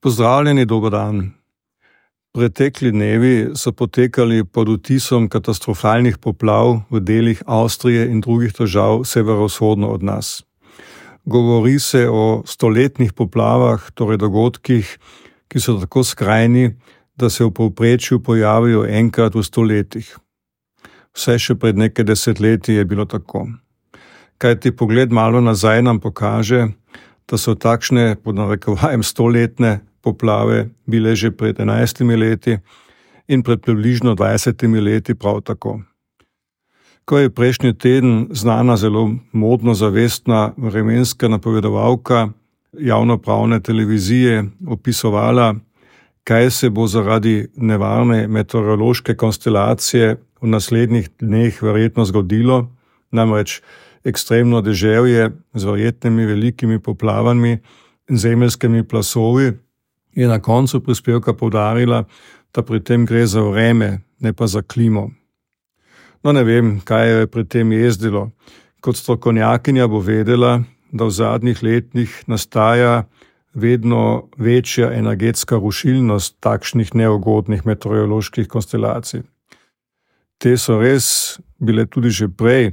Pozdravljeni, dober dan. Pretekli dnevi so potekali pod vtisom katastrofalnih poplav v delih Avstrije in drugih držav severovzhodno od nas. Govori se o stoletnih poplavah, torej dogodkih, ki so tako skrajni, da se v povprečju pojavijo enkrat v 100 letih. Vse še pred nekaj desetletji je bilo tako. Kajti pogled malo nazaj nam pokaže, da so takšne, pod narekovajem, 100-letne poplave bile že pred 11 leti in pred približno 20 leti prav tako. Ko je prejšnji teden znana zelo modno zavestna vremenska napovedovalka javnopravne televizije opisovala, kaj se bo zaradi nevarne meteorološke konstelacije v naslednjih dneh verjetno zgodilo, namreč ekstremno deževje z verjetnimi velikimi poplavami in zemeljskimi plazovi, je na koncu prispevka poudarila, da pri tem gre za vreme, ne pa za klimo. No, ne vem, kaj je pri tem jezdilo. Kot strokovnjakinja bo vedela, da v zadnjih letih nastaja vedno večja energetska rušilnost takšnih neugodnih meteoroloških konstelacij. Te so res bile tudi že prej,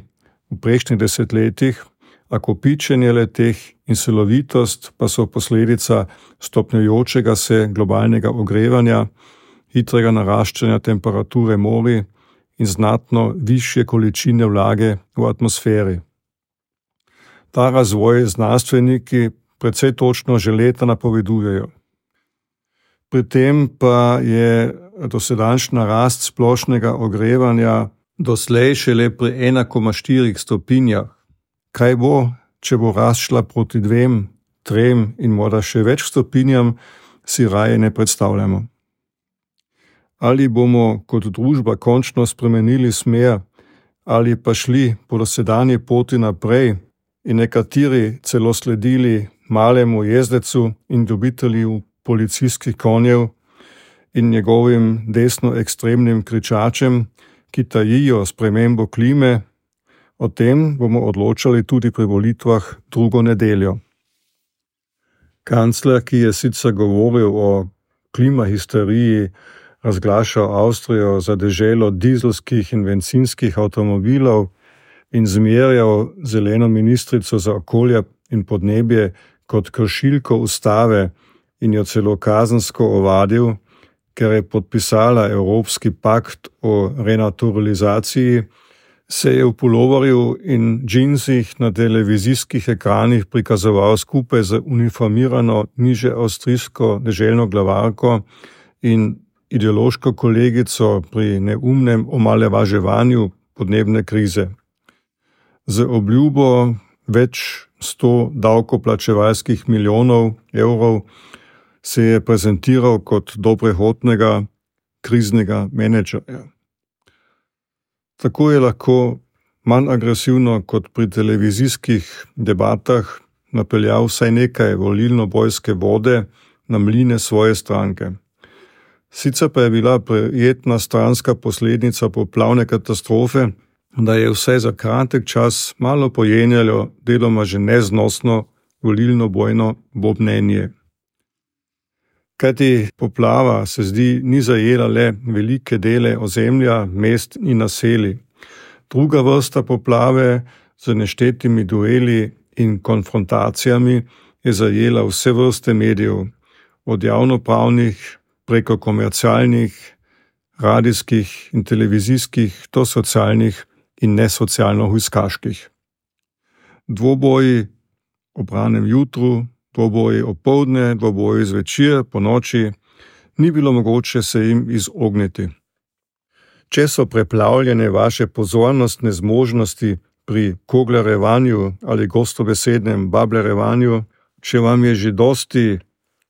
v prejšnjih desetletjih, a kopičenje le-teh in silovitost pa so posledica stopnjujočega se globalnega ogrevanja, hitrega naraščanja temperature morij in znatno višje količine vlage v atmosferi. Ta razvoj znanstveniki precej točno že leta napovedujejo. Pri tem pa je dosedanjša rast splošnega ogrevanja doslej šele pri 1,4 stopinjah. Kaj bo, če bo rast šla proti 2, 3 in morda še več stopinjam, si raje ne predstavljamo. Ali bomo kot družba končno spremenili smer, ali pa šli po dosedanji poti naprej in nekateri celo sledili malemu jezdecu in ljubitelju policijskih konjev in njegovim desno ekstremnim kričačem, ki tajijo spremembo klime. O tem bomo odločali tudi pri volitvah drugo nedeljo. Kancler, ki je sicer govoril o klimahisteriji, razglašal Avstrijo za deželo dizelskih in bencinskih avtomobilov in zmerjal zeleno ministrico za okolje in podnebje kot kršilko ustave in jo celo kazensko ovadil, ker je podpisala Evropski pakt o renaturalizaciji, se je v puloverju in džinsih na televizijskih ekranih prikazoval skupaj z uniformirano niže avstrijsko deželno glavarko in ideološko kolegico pri neumnem omalovaževanju podnebne krize. Z obljubo več 100 davkoplačevalskih milijonov evrov se je prezentiral kot dobrehotnega kriznega menedžerja. Tako je lahko manj agresivno kot pri televizijskih debatah napeljal vsaj nekaj volilno-bojske vode na mline svoje stranke. Sicer pa je bila prijetna stranska posledica poplavne katastrofe, da je vsaj za kratek čas malo pojenjalo deloma že neznosno volilno-bojno bobnenje. Kajti poplava se zdi ni zajela le velike dele ozemlja, mest in naselij. Druga vrsta poplave z neštetimi dueli in konfrontacijami je zajela vse vrste medijev, od javnopravnih preko komercialnih, radijskih in televizijskih do socialnih in nesocialno hujskaških. Dvoboji ob ranem jutru, dvoboji opoldne, dvoboji zvečer, po noči, ni bilo mogoče se jim izogniti. Če so preplavljene vaše pozornostne zmožnosti pri koglarevanju ali gostobesednem bablerevanju, če vam je že dosti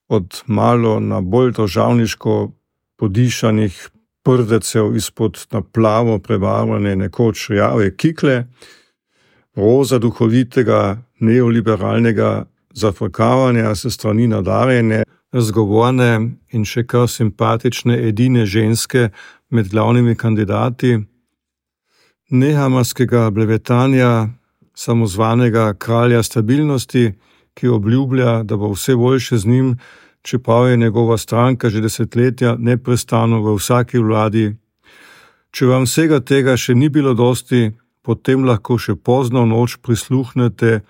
od malo na bolj državniško podišanih prdecev izpod na plavo prebarvane nekoč rjave kikle, roza duhovitega neoliberalnega zafrkavanja se strani nadarjene, zgovorne in še kar simpatične edine ženske med glavnimi kandidati, nehamarskega blevetanja samozvanega kralja stabilnosti, ki obljublja, da bo vse boljše z njim, čeprav je njegova stranka že desetletja neprestano v vsaki vladi. Če vam vsega tega še ni bilo dosti, potem lahko še pozno v noč prisluhnete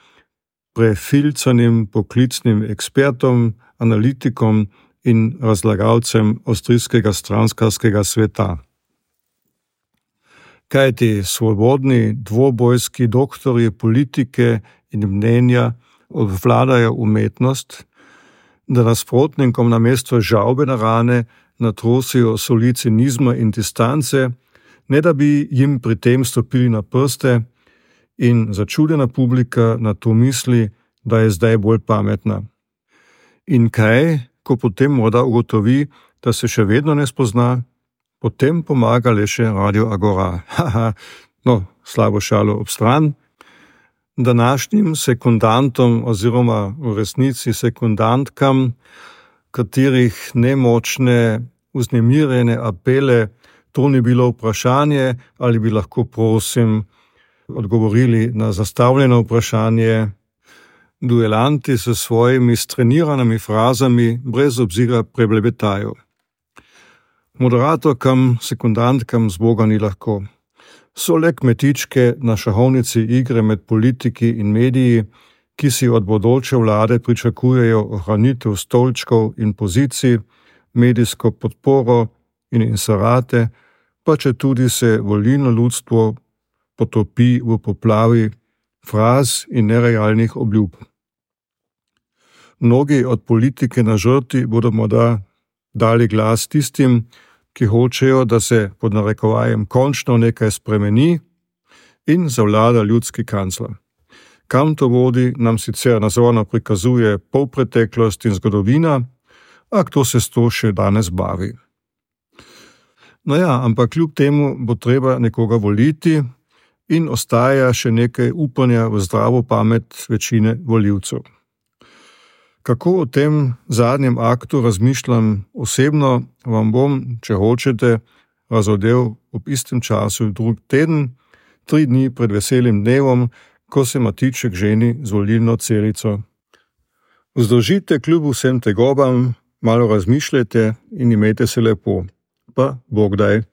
prefilcanim poklicnim ekspertom, analitikom in razlagalcem avstrijskega stranskarskega sveta. Kajti svobodni dvobojski doktorji politike in mnenja obvladajo umetnost, da nasprotnikom namesto žalbe na rane natrosijo soli cinizma in distance, ne da bi jim pri tem stopili na prste, in začudena publika na to misli, da je zdaj bolj pametna. In kaj, ko potem morda ugotovi, da se še vedno ne spozna, potem pomaga le še Radio Agora. No, slabo šalo ob stran. Današnjim sekundantom oziroma v resnici sekundantkam, katerih nemočne, vznemirjene apele, to ni bilo vprašanje, ali bi lahko prosim odgovorili na zastavljeno vprašanje. Duelanti s svojimi streniranimi frazami brez obzira preblebetajo. Moderatorkam, sekundantkam zboga ni lahko. So le kmetičke na šahovnici igre med politiki in mediji, ki si od bodoče vlade pričakujejo ohranitev stolčkov in pozicij, medijsko podporo in inserate, pa če tudi se volilno ljudstvo potopi v poplavi fraz in nerealnih obljub. Mnogi od politike na žrti bodo morda dali glas tistim, ki hočejo, da se pod narekovajem končno nekaj spremeni in zavlada ljudski kancler. Kam to vodi, nam sicer nazorno prikazuje polpreteklost in zgodovina, a kdo se s to še danes bavi. No ja, ampak kljub temu bo treba nekoga voliti in ostaja še nekaj upanja v zdravo pamet večine volivcev. Kako o tem zadnjem aktu razmišljam osebno, vam bom, če hočete, razodel ob istem času drug teden, 3 dni pred veselim dnevom, ko se Matiček ženi z volilno celico. Vzdržite kljub vsem tegobam, malo razmišljajte in imejte se lepo. Pa Bog daj.